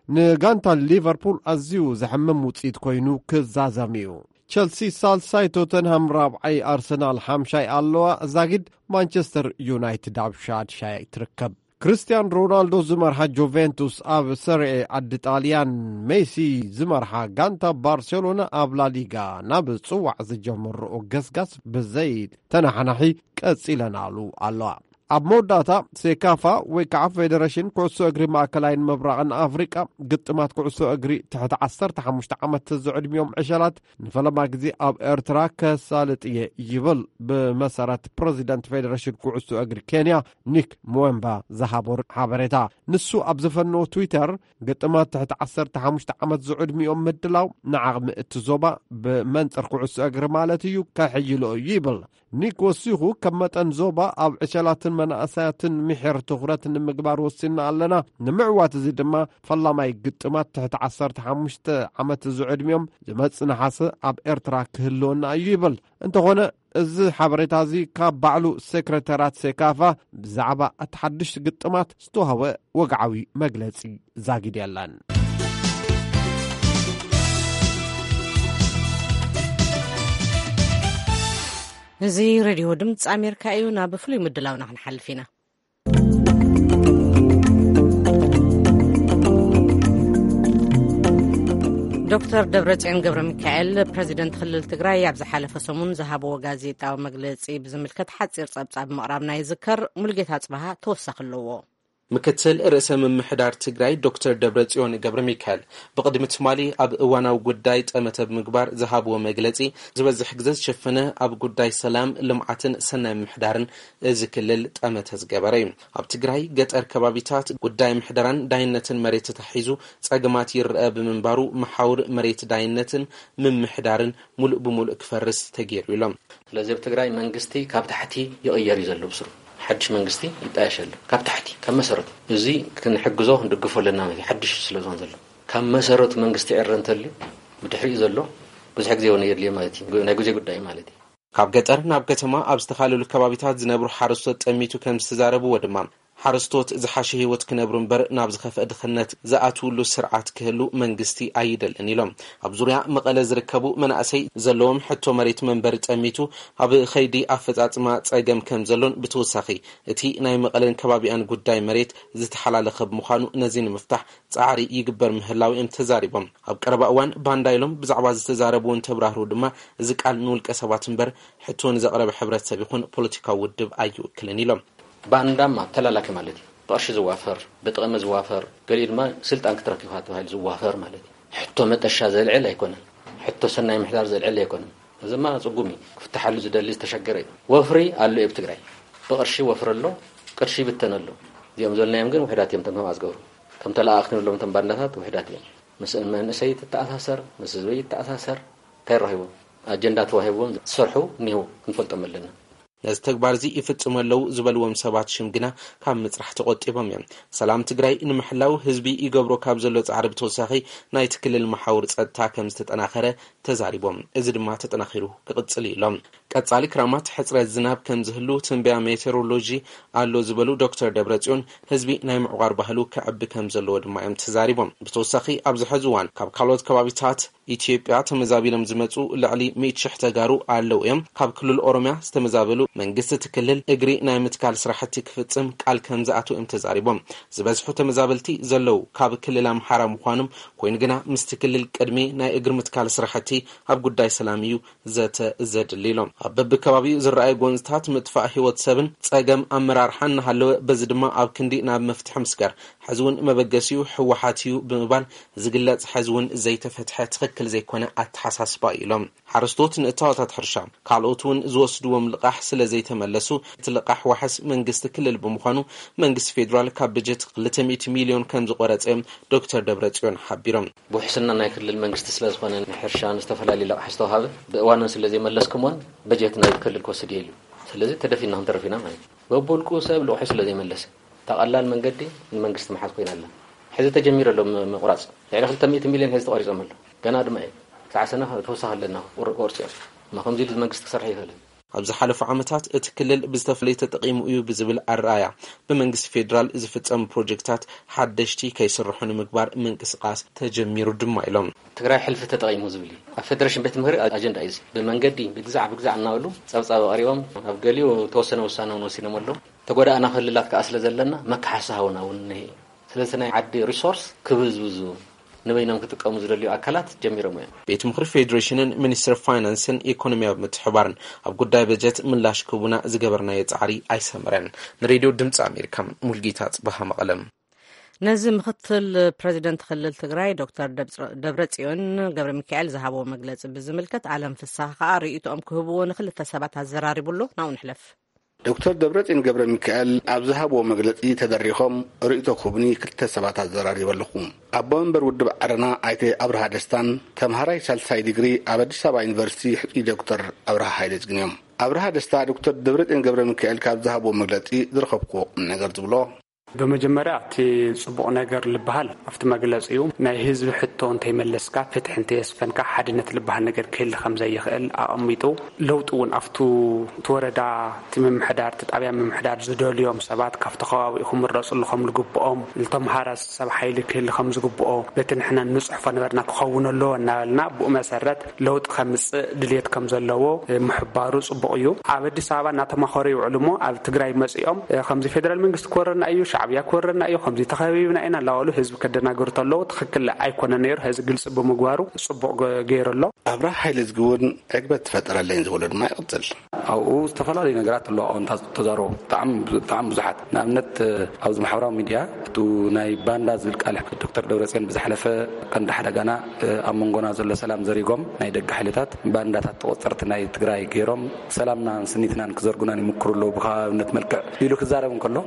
ንጋንታ ሊቨርፑል ኣዝዩ ዘሕምም ውጽኢት ኮይኑ ክዛዘም እዩ። ቸልሲ ሳልሳይ፣ ቶተንሃም ራብዓይ፣ ኣርሰናል ሓምሻይ ኣለዋ። ዛጊድ ማንቸስተር ዩናይትድ ኣብ ሻድሻይ ትርከብ። ክርስቲያን ሮናልዶ ዝመርሓ ጁቬንቱስ ኣብ ሰሪኤ ዓዲ ጣልያን፣ ሜሲ ዝመርሓ ጋንታ ባርሴሎና ኣብ ላሊጋ ናብ ጽዋዕ ዝጀመርኦ ገስጋስ ብዘይ ተናሓናሒ ቀጺለናሉ ኣለዋ። ኣብ መወዳእታ፣ ሴካፋ ወይ ከዓ ፌደሬሽን ኩዕሶ እግሪ ማእከላይን ምብራቕን ኣፍሪቃ ግጥማት ኩዕሶ እግሪ ትሕቲ ዓሰርተ ሓሙሽተ ዓመት ዝዕድሚኦም ዕሸላት ንፈለማ ግዜ ኣብ ኤርትራ ከሳልጥ እየ ይብል፣ ብመሰረት ፕረዚደንት ፌደሬሽን ኩዕሶ እግሪ ኬንያ ኒክ ሙዌምባ ዝሃቦ ሓበሬታ። ንሱ ኣብ ዝፈነዎ ትዊተር፣ ግጥማት ትሕቲ ዓሰርተ ሓሙሽተ ዓመት ዝዕድሚኦም ምድላው ንዓቕሚ እቲ ዞባ ብመንጽር ኩዕሶ እግሪ ማለት እዩ ከሕይሎ እዩ ይብል። ኒክ ወሲኹ፣ ከም መጠን ዞባ ኣብ ዕሸላትን መናእሰያትን ምሒር ትኹረት ንምግባር ወሲና ኣለና። ንምዕዋት እዚ ድማ ፈላማይ ግጥማት ትሕቲ ዓሰርተ ሓሙሽተ ዓመት ዝዕድሚኦም ዝመጽእ ነሓሰ ኣብ ኤርትራ ክህልወና እዩ ይብል። እንተኾነ፣ እዚ ሓበሬታ እዚ ካብ ባዕሉ ሴክሬታርያት ሴካፋ ብዛዕባ እቲ ሓድሽ ግጥማት ዝተዋህበ ወግዓዊ መግለጺ ዛጊድ የለን። እዚ ሬድዮ ድምፂ ኣሜሪካ እዩ። ናብ ፍሉይ ምድላውና ክንሓልፍ ኢና። ዶክተር ደብረጽዮን ገብረ ሚካኤል፣ ፕረዚደንት ክልል ትግራይ፣ ኣብ ዝሓለፈ ሰሙን ዝሃብዎ ጋዜጣዊ መግለጺ ብዝምልከት ሓጺር ጸብጻብ ምቕራብና ይዝከር። ሙሉጌታ ጽባሃ ተወሳኺ ኣለዎ። ምክትል ርእሰ ምምሕዳር ትግራይ ዶክተር ደብረጽዮን ገብረ ሚካኤል ብቕድሚ ትማሊ ኣብ እዋናዊ ጉዳይ ጠመተ ብምግባር ዝሃብዎ መግለጺ፣ ዝበዝሕ ግዜ ዝሸፈነ ኣብ ጉዳይ ሰላም፣ ልምዓትን ሰናይ ምምሕዳርን እዚ ክልል ጠመተ ዝገበረ እዩ። ኣብ ትግራይ ገጠር ከባቢታት ጉዳይ ምሕደራን ዳይነትን መሬት ተታሒዙ ጸገማት ይረአ ብምንባሩ፣ መሓውር መሬት ዳይነትን ምምሕዳርን ሙሉእ ብሙሉእ ክፈርስ ተገይሩ ኢሎም። ስለዚ ኣብ ትግራይ መንግስቲ ካብ ታሕቲ ይቕየር እዩ ዘሎ። ብስሩ ሓድሽ መንግስቲ ይጣየሽ ኣሎ። ካብ ታሕቲ፣ ካብ መሰረቱ። እዚ ክንሕግዞ፣ ክንድግፎ ኣለና ማለት እዩ። ሓድሽ ስለ ዝኾን ዘሎ፣ ካብ መሰረቱ መንግስቲ ዕረ እንተልዩ፣ ብድሕሪኡ ዘሎ ብዙሕ ግዜ እውን የድልዮ ማለት እዩ። ናይ ግዜ ጉዳይ ማለት እዩ። ካብ ገጠር ናብ ከተማ ኣብ ዝተፈላለዩ ከባቢታት ዝነብሩ ሓረስቶት ጠሚቱ ከም ዝተዛረብዎ ድማ፣ ሓረስቶት ዝሓሸ ህይወት ክነብሩ እምበር ናብ ዝኸፍአ ድኽነት ዝኣትውሉ ስርዓት ክህሉ መንግስቲ ኣይደልን ኢሎም። ኣብ ዙርያ መቐለ ዝርከቡ መናእሰይ ዘለዎም ሕቶ መሬት መንበሪ ጠሚቱ ኣብ ኸይዲ ኣፈጻጽማ ጸገም ከም ዘሎን፣ ብተወሳኺ እቲ ናይ መቐለን ከባቢኣን ጉዳይ መሬት ዝተሓላለኸ ብምዃኑ፣ ነዚ ንምፍታሕ ጻዕሪ ይግበር ምህላው እዮም ተዛሪቦም። ኣብ ቀረባ እዋን ባንዳ ኢሎም ብዛዕባ ዝተዛረቡ እውን ተብራህሩ ድማ፣ እዚ ቃል ንውልቀ ሰባት እምበር ሕቶ ንዘቕረበ ሕብረተሰብ ይኹን ፖለቲካዊ ውድብ ኣይውክልን ኢሎም። ባንዳማ ተላላኪ ማለት እዩ። ብቕርሺ ዝዋፈር፣ ብጥቕሚ ዝዋፈር፣ ገሊኡ ድማ ስልጣን ክትረክብ ኢኻ ተባሂሉ ዝዋፈር ማለት እዩ። ሕቶ መጠሻ ዘልዕል ኣይኮነን። ሕቶ ሰናይ ምሕዳር ዘልዕል ኣይኮነን። እዚማ ጽጉም እዩ። ክፍትሓሉ ዝደሊ ዝተሸገረ እዩ። ወፍሪ ኣሎ እዩ ኣብ ትግራይ። ብቕርሺ ወፍሪ ኣሎ፣ ቅርሺ ይብተን ኣሎ። እዚኦም ዘልናዮም ግን ውሕዳት እዮም፣ እቶም ከምኣ ዝገብሩ። ከም ተለኣኣኽቲ ንብሎም እቶም ባንዳታት ውሕዳት እዮም። ምስ መንእሰይ ትተኣሳሰር፣ ምስ ህዝበይ ይተኣሳሰር፣ እንታይ ረኺቦም? ኣጀንዳ ተዋሂብዎም ዝሰርሑ እኒሄው፣ ክንፈልጦም ኣለና። ነዚ ተግባር እዚ ይፍጽሙ ኣለዉ ዝበልዎም ሰባት ሽም ግና ካብ ምጽራሕ ተቖጢቦም እዮም። ሰላም ትግራይ ንምሕላው ህዝቢ ይገብሮ ካብ ዘሎ ጻዕሪ ብተወሳኺ፣ ናይቲ ክልል መሓውር ጸጥታ ከም ዝተጠናኸረ ተዛሪቦም። እዚ ድማ ተጠናኺሩ ክቕጽል እዩ ኢሎም። ቀጻሊ ክራማት ሕጽረት ዝናብ ከም ዝህሉ ትንበያ ሜቴሮሎጂ ኣሎ ዝበሉ ዶክተር ደብረጽዮን፣ ህዝቢ ናይ ምዕቋር ባህሉ ከዕቢ ከም ዘለዎ ድማ እዮም ተዛሪቦም። ብተወሳኺ፣ ኣብዚ ሕዚ እዋን ካብ ካልኦት ከባቢታት ኢትዮጵያ ተመዛቢሎም ዝመጹ ልዕሊ ሚእቲ ሽሕ ተጋሩ ኣለዉ እዮም። ካብ ክልል ኦሮምያ ዝተመዛበሉ፣ መንግስቲ እቲ ክልል እግሪ ናይ ምትካል ስራሕቲ ክፍጽም ቃል ከም ዝኣተው እዮም ተዛሪቦም። ዝበዝሑ ተመዛበልቲ ዘለዉ ካብ ክልል ኣምሓራ ምዃኖም ኮይኑ ግና፣ ምስቲ ክልል ቅድሚ ናይ እግሪ ምትካል ስራሕቲ ኣብ ጉዳይ ሰላም እዩ ዘተ ዘድሊ ኢሎም። ኣብ በብከባቢኡ ዝረኣዩ ጎንፅታት ምጥፋእ ህይወት ሰብን ጸገም ኣመራርሓን እናሃለወ፣ በዚ ድማ ኣብ ክንዲ ናብ መፍትሒ ምስጋር፣ ሕዚ እውን መበገሲኡ ህወሓት እዩ ብምባል ዝግለጽ፣ ሕዚ እውን ዘይተፈትሐ ትኽክል ዘይኮነ ኣተሓሳስባ እዩ ኢሎም። ሓረስቶት ንእታወታት ሕርሻ፣ ካልኦት እውን ዝወስድዎም ልቓሕ ስለ ዘይተመለሱ፣ እቲ ልቓሕ ዋሕስ መንግስቲ ክልል ብምዃኑ፣ መንግስቲ ፌዴራል ካብ በጀት ክልተ ሚእቲ ሚልዮን ከም ዝቆረጸ እዮም ዶክተር ደብረጽዮን ሓቢሮም። ብውሕስና ናይ ክልል መንግስቲ ስለ ዝኾነ፣ ንሕርሻን ዝተፈላለዩ ልቓሕ ዝተዋሃበ ብእዋኑ ስለ ዘይመለስኩምዎን፣ በጀት ናይ ክልል ክወስድ እየ ኢሉ። ስለዚ ተደፊና ክንተርፍ ኢና ማለት እዩ። በብውልቁ ሰብ ልቑሑ ስለ ዘይመለሰ፣ እታ ቀላል መንገዲ ንመንግስቲ ምሓዝ ኮይና ኣላ። ሕዚ ተጀሚሩ ኣሎ ም-፣ ምቑራጽ። ልዕሊ ክልተ ሚእቲ ሚልዮን ሕዚ ተቖሪጾም ኣሎ። ገና ድማ እዩ። ክሳዕ ሰነ ተወሳኺ ኣለና፣ ቁር-፣ ቁርጺ እዮም። እሞ ከምዚ ኢሉ መንግስቲ ክሰርሕ ይኽእልን። ኣብ ዝሓለፉ ዓመታት እቲ ክልል ብዝተፈላለዩ ተጠቒሙ እዩ ብዝብል ኣረኣያ፣ ብመንግስቲ ፌዴራል ዝፍጸሙ ፕሮጀክታት ሓደሽቲ ከይስርሑ ንምግባር ምንቅስቓስ ተጀሚሩ ድማ ኢሎም። ትግራይ ሕልፊ ተጠቒሙ ዝብል እዩ። ኣብ ፌደሬሽን ቤት ምኽሪ ኣጀንዳ እዩ እዚ። ብመንገዲ ብግዛዕ ብግዛዕ እናበሉ ጸብጻብ ኣቕሪቦም፣ ኣብ ገሊኡ ተወሰነ ውሳነ እውን ወሲኖም ኣለዉ። ተጎዳእና ክልላት ከኣ ስለ ዘለና መካሓሲ ሃቡና እውን እኒሄ። ስለዚ ናይ ዓዲ ሪሶርስ ክብዝብዙ፣ ንበይኖም ክጥቀሙ ዝደልዩ ኣካላት ጀሚሮም እዮም። ቤት ምኽሪ ፌዴሬሽንን ሚኒስትሪ ፋይናንስን ኢኮኖሚያዊ ምትሕባርን ኣብ ጉዳይ በጀት ምላሽ ክህቡና ዝገበርናዮ ጻዕሪ ኣይሰመረን። ንሬድዮ ድምፂ ኣሜሪካ፣ ሙልጌታ ጽባሃ፣ መቐለም። ነዚ ምክትል ፕረዚደንት ክልል ትግራይ ዶክተር ደብረ-፣ ደብረጽዮን ገብረ ሚካኤል ዝሃብዎ መግለጺ ብዝምልከት፣ ኣለም ፍስሃ ከኣ ርእይቶኦም ክህብዎ ንክልተ ሰባት ኣዘራሪቡ ኣሎ። ናብኡ ንሕለፍ። ዶክተር ደብረጽዮን ገብረ ሚካኤል ኣብ ዝሃብዎ መግለጺ ተደሪኾም ርእይቶ ክህቡኒ ክልተ ሰባት ኣዘራሪበ ኣለኹ። ኣቦ መንበር ውድብ ዓረና ኣይተ ኣብርሃ ደስታን ተምሃራይ ሳልሳይ ዲግሪ ኣብ ኣዲስ ኣበባ ዩኒቨርሲቲ ሕጹይ ዶክተር ኣብርሃ ሃይለ ጽግን እዮም። ኣብርሃ ደስታ ዶክተር ደብረጽዮን ገብረ ሚካኤል ካብ ዝሃብዎ መግለጺ ዝረኸብኩዎ ቁም ነገር ዝብሎ። ብመጀመርያ እቲ ጽቡቕ ነገር ዝበሃል ኣብቲ መግለጺ እዩ። ናይ ህዝቢ ሕቶ እንተይመለስካ፣ ፍትሒ እንተየስፈንካ፣ ሓድነት ዝበሃል ነገር ክህሊ ከም ዘይኽእል ኣቐሚጡ፣ ለውጢ እውን ኣብቱ እቲ ወረዳ፣ እቲ ምምሕዳር፣ እቲ ጣብያ ምምሕዳር ዝደልዮም ሰባት ካብቲ ከባቢኡ ክምረጹሉ ከም ዝግብኦም፣ ዝተምሃረ ሰብ ሓይሊ ክህሊ ከም ዝግብኦ፣ በቲ ንሕና ንጽሕፎ ነበርና ክኸውን ኣለዎ እናበልና፣ ብኡ መሰረት ለውጢ ከምጽእ ድልየት ከም ዘለዎ፣ እ፣ ምሕባሩ ጽቡቕ እዩ። ኣብ ኣዲስ ኣበባ እናተማኸሩ ይውዕሉ እሞ፣ ኣብ ትግራይ መጺኦም፣ እ፣ ከምዚ ፌደራል መንግስቲ ክወረና እዩ፣ ሻዕብያ ክወረና እዩ፣ ከምዚ ተኸቢብና ኢና እናበሉ ህዝቢ ከደናግሩ ተለዉ፣ ትኽክል ኣይኮነን ነይሩ። ህዚ ግልጺ ብምግባሩ ጽቡቕ ገ-፣ ገይሩ ኣሎ። ኣብርሃ ሓይለዝጊ እውን ዕግበት ትፈጠረለይን ዝበሎ ድማ ይቕጽል። ኣብኡ ዝተፈላለዩ ነገራት ኣለዋ። ኣዎንታ ተዛረቡ ብጣዕሚ፣ ብጣዕሚ ብዙሓት። ንኣብነት፣ ኣብዚ ማሕበራዊ ሚድያ፣ እቱ ናይ ባንዳ ዝብል ቃል ዶክተር ደብረጽዮን ብዝሓለፈ ቀንዲ ሓደጋና፣ ኣብ መንጎና ዘሎ ሰላም ዘሪጎም ናይ ደገ ሓይልታት ባንዳታት ተቆጸርቲ ናይ ትግራይ ገይሮም፣ ሰላምናን ስኒትናን ክዘርጉናን ይምክሩ ኣለዉ ብከባብነት መልክዕ ኢሉ ክዛረብ እንከሎ፣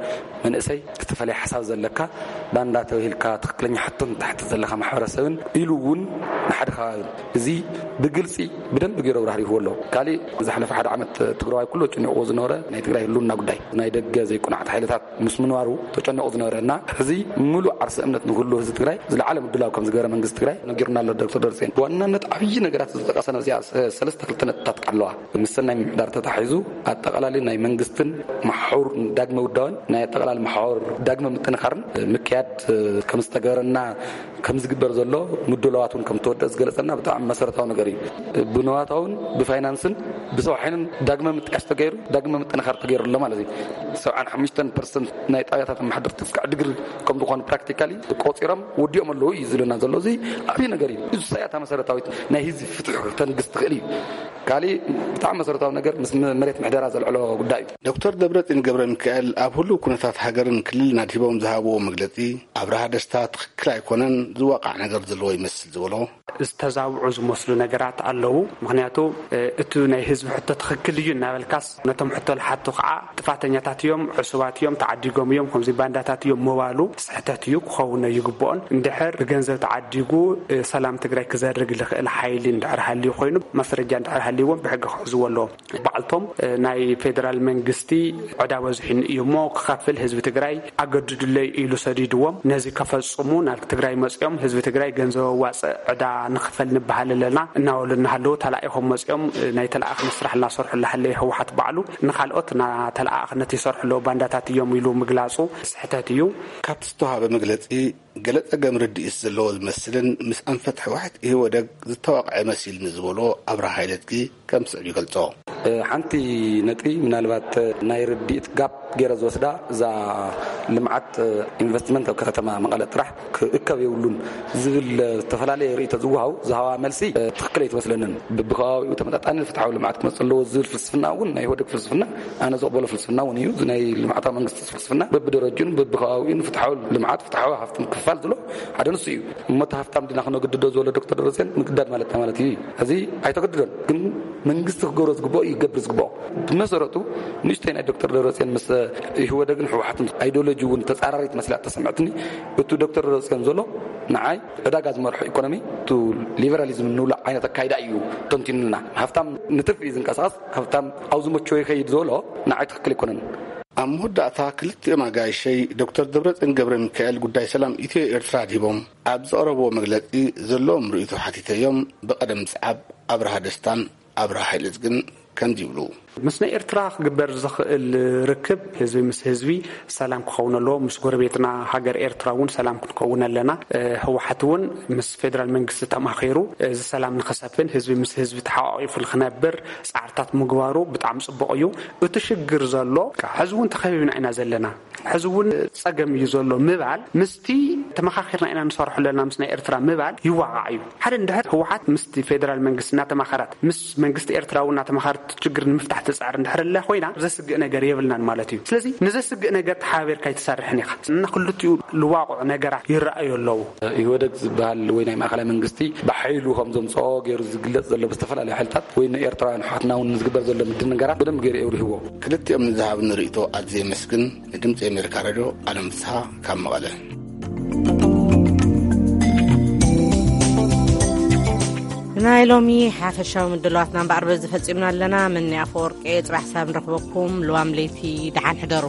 መንእሰይ፣ ዝተፈለየ ሓሳብ ዘለካ፣ ባንዳ ተባሂልካ ትኽክለኛ ሕቶን ትሓትት ዘለካ ማሕበረሰብን ኢሉ እውን ንሓደ ከባቢ፣ እዚ ብግልፂ ብደንብ ገይሩ ኣብራህሪህዎ ኣሎ። ካሊእ ዝሓለፈ ሓደ ዓመት ትግራዋይ ኩሉ ተጨኒቕዎ ዝነበረ ናይ ትግራይ ህልውና ጉዳይ፣ ናይ ደገ ዘይቁናዕቲ ሓይልታት ምስ ምንባሩ ተጨኒቑ ዝነበረ እና፣ ሕዚ ምሉእ ዓርሰ እምነት ንኩሉ ህዝቢ ትግራይ ዝለዓለ ምድላው ከም ዝገበረ መንግስቲ ትግራይ ነጊሩና ኣሎ ዶክተር ደብረፅዮን። ብዋናነት ዓብዪ ነገራት ዝተጠቀሰ ነዚኣ ሰ-፣ ሰለስተ ክልተ ነጥብታት ኣለዋ። ምስ ሰናይ ምምሕዳር ተታሒዙ ኣጠቓላሊ ናይ መንግስትን መሓውር ዳግመ ውዳበን ናይ ኣጠቓላሊ መሓውር ዳግመ ምጥንኻርን ምክያድ ከም ዝተገበረና ከም ዝግበር ዘሎ ምድላዋት እውን ከም ተወደአ ዝገለጸልና ብጣዕሚ መሰረታዊ ነገር እዩ። ብንዋታውን ብፋይናንስን ብሰው ሓይልን ዳግመ ምጥያሽ ተገይሩ፣ ዳግመ ምጥንኻር ተገይሩ ኣሎ ማለት እዩ። ሰብዓን ሓሙሽተን ፐርሰንት ናይ ጣብያታት ኣመሓደርቲ እስካዕ ድግሪ ከም ዝኾኑ ፕራክቲካሊ ቆጺሮም ወዲኦም ኣለዉ እዩ ዝብለና ዘሎ። እዚ ዓብዪ ነገር እዩ። እዚ እሳያታ መሰረታዊት ናይ ህዝቢ ፍትሒ ክተንግስ ትኽእል እዩ። ካሊእ ብጣዕሚ መሰረታዊ ነገር ምስ መ-፣ መሬት ምሕደራ ዘልዕሎ ጉዳይ እዩ። ዶክተር ደብረጽዮን ገብረ ሚካኤል ኣብ ህሉው ኩነታት ሃገርን ክልልን ኣድሂቦም ዝሃብዎ መግለጺ፣ ኣብርሃ ደስታ ትኽክል ኣይኮነን፣ ዝዋቃዕ ነገር ዘለዎ ይመስል ዝበሎ። ዝተዛብዑ ዝመስሉ ነገራት ኣለዉ። ምኽንያቱ፣ እ፣ እቱ ናይ ህዝቢ ሕቶ ትኽክል እዩ እናበልካስ፣ ነቶም ሕቶ ዝሓቱ ከዓ ጥፋተኛታት እዮም፣ ዕሱባት እዮም፣ ተዓዲጎም እዮም፣ ከምዚ ባንዳታት እዮም ምባሉ ስሕተት እዩ፣ ክኸውን ኣይግብኦን። እንድሕር ብገንዘብ ተዓዲጉ፣ እ፣ ሰላም ትግራይ ክዘርግ ዝኽእል ሓይሊ እንድሕር ሃልዩ ኮይኑ፣ ማስረጃ እንድሕር ሃልይዎም ብሕጊ ክሕዝዎ ኣለዎም። ባዕልቶም፣ እ፣ ናይ ፌደራል መንግስቲ ዕዳ በዚሑኒ እዩ እሞ ክኸፍል ህዝቢ ትግራይ ኣገድዱለይ ኢሉ ሰዲድዎም፣ ነዚ ከፈጽሙ ናብ ትግራይ መጺኦም ህዝቢ ትግራይ ገንዘብ ኣዋጽእ ዕዳ ንኽፈል ንበሃል ኣለና እናበሉ እናሃለዉ ተላኢኾም መጺኦም፣ እ፣ ናይ ተለኣኽነት ስራሕ እናሰርሑ እናሃለዩ ህወሓት ባዕሉ ንኻልኦት እናተለኣኣኽነት ይሰርሑ ኣለዉ ባንዳታት እዮም ኢሉ ምግላጹ ስሕተት እዩ። ካብቲ ዝተዋሃበ መግለጺ ገለ ጸገም ርድኢት ዘለዎ ዝመስልን ምስ ኣንፈት ህወሓት ኢህወደግ ዝተዋቕዐ መሲልኒ ዝበሎ ኣብርሃ ሓይለዝጊ ከም ስዕብ ይገልጾ። እ፣ ሓንቲ ነጥቢ ምናልባት ናይ ርድኢት ጋፕ ገይረ ዝወስዳ እዛ ልምዓት፣ እ፣ ኢንቨስትመንት ኣብ ከተማ መቐለ ጥራሕ ክእከብ የብሉን ዝብል፣ እ፣ ዝተፈላለየ ርእይቶ ዝወሃው ዝሃዋ መልሲ፣ እ፣ ትኽክል ኣይትመስለንን። ብብኸባቢኡ ተመጣጣኒ ፍትሓዊ ልምዓት ክመጽእ ኣለዎ ዝብል ፍልስፍና እውን ናይ ኢህወደግ ፍልስፍና ኣነ ዝቕበሎ ፍልስፍና እውን እዩ። እዚ ናይ ልምዓታዊ መንግስቲ ፍልስፍና በብደረጅኡን በብኸባቢኡን ፍትሓዊ ልምዓት፣ ፍትሓዊ ሃፍቲ ምክፍፋል ዝሎ ሓደ ንሱ እዩ። እሞ እቲ ሃፍታም ድና ክነግድዶ ዝበሎ ዶክተር ደብረፅዮን ምግዳድ ማለት እንታይ ማለት እዩ? እዚ ኣይተገድዶን፣ ግን መንግስቲ ክገብሮ ዝግብኦ ይገብር ዝግብኦ። ብመሰረቱ ንእሽተይ ናይ ዶክተር ደብረፅዮን ምስ ኢህወደግን ህወሓትን ኣይዲዮሎጂ እውን ተፃራሪት መስላ ተሰምዐትኒ። እቱ ዶክተር ደብረፅዮን ዘሎ ንዓይ ዕዳጋ ዝመርሖ ኢኮኖሚ፣ እቱ ሊበራሊዝም እንብሎ ዓይነት ኣካይዳ እዩ ተንቲኑልና። ሃፍታም ንትርፊ እዩ ዝንቀሳቐስ፣ ሃፍታም ኣብ ዝመቸዎ ይኸይድ ዝበሎ ንዓይ ትኽክል ኣይኮነን። ኣብ መወዳእታ ክልቲኦም ኣጋይሸይ ዶክተር ደብረፅዮን ገብረ ሚካኤል ጉዳይ ሰላም ኢትዮ ኤርትራ ኣድሂቦም ኣብ ዘቕረብዎ መግለጺ ዘለዎም ርእይቶ ሓቲተዮም። ብቐደም ምጽዓብ ኣብርሃ ደስታን ኣብርሃ ሓይለዝግን ከምዚ ይብሉ። ምስ ናይ ኤርትራ ክግበር ዝኽእል ርክብ ህዝቢ ምስ ህዝቢ ሰላም ክኸውን ኣለዎ። ምስ ጎረቤትና ሃገር ኤርትራ እውን ሰላም ክንከውን ኣለና። እ፣ ህወሓት እውን ምስ ፌደራል መንግስቲ ተማኺሩ እዚ ሰላም ንኸሰፍን ህዝቢ ምስ ህዝቢ ተሓቋቒፉ ንኽነብር ጻዕርታት ምግባሩ ብጣዕሚ ጽቡቕ እዩ። እቲ ሽግር ዘሎ፣ ሕዚ እውን ተኸቢብና ኢና ዘለና። ሕዚ እውን ጸገም እዩ ዘሎ ምባል፣ ምስቲ ተመኻኺርና ኢና ንሰርሖ ኣለና ምስ ናይ ኤርትራ ምባል ይዋቓዕ እዩ። ሓደ እንድሕር ህወሓት ምስቲ ፌደራል መንግስቲ እናተማኸረት፣ ምስ መንግስቲ ኤርትራ እውን እናተማኸረት ችግር ንምፍታሕ ትጽዕር እንድሕር ኣላ ኮይና፣ ዘስግእ ነገር የብልናን ማለት እዩ። ስለዚ ንዘስግእ ነገር ተሓባቢርካ ኣይትሰርሕን ኢኻ። እና ክልቲኡ ልዋቑዕ ነገራት ይረኣዩ ኣለዉ። ኢህወደግ ዝበሃል ወይ ናይ ማእኸላይ መንግስቲ ብሓይሉ ከም ዘምፅኦ ገይሩ ዝግለጽ ዘሎ ብዝተፈላለዩ ሓይልታት ወይ ንኤርትራውያን ኣሕዋትና እውን ዝግበር ዘሎ ምድንጋራት ብደንብ ገይሩ የብሪህዎ። ክልቲኦም ንዝሃብኒ ርእይቶ ኣዝየ የመስግን። ንድምፂ ኣሜሪካ ሬድዮ ኣለም ፍስሃ ካብ መቐለ። ናይ ሎሚ ሓፈሻዊ ምድላዋትና እምበኣር በዚ ፈጺምና ኣለና። ምኒ ኣፈወርቂ፣ ጽባሕ ሳብ ንረኽበኩም። ልዋም ለይቲ ደሓን ሕደሩ።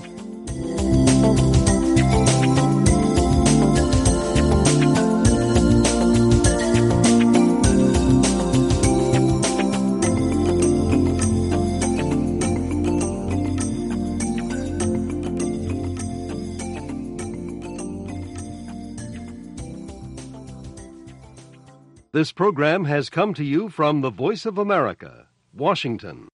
This program has come to you from the Voice of America, Washington.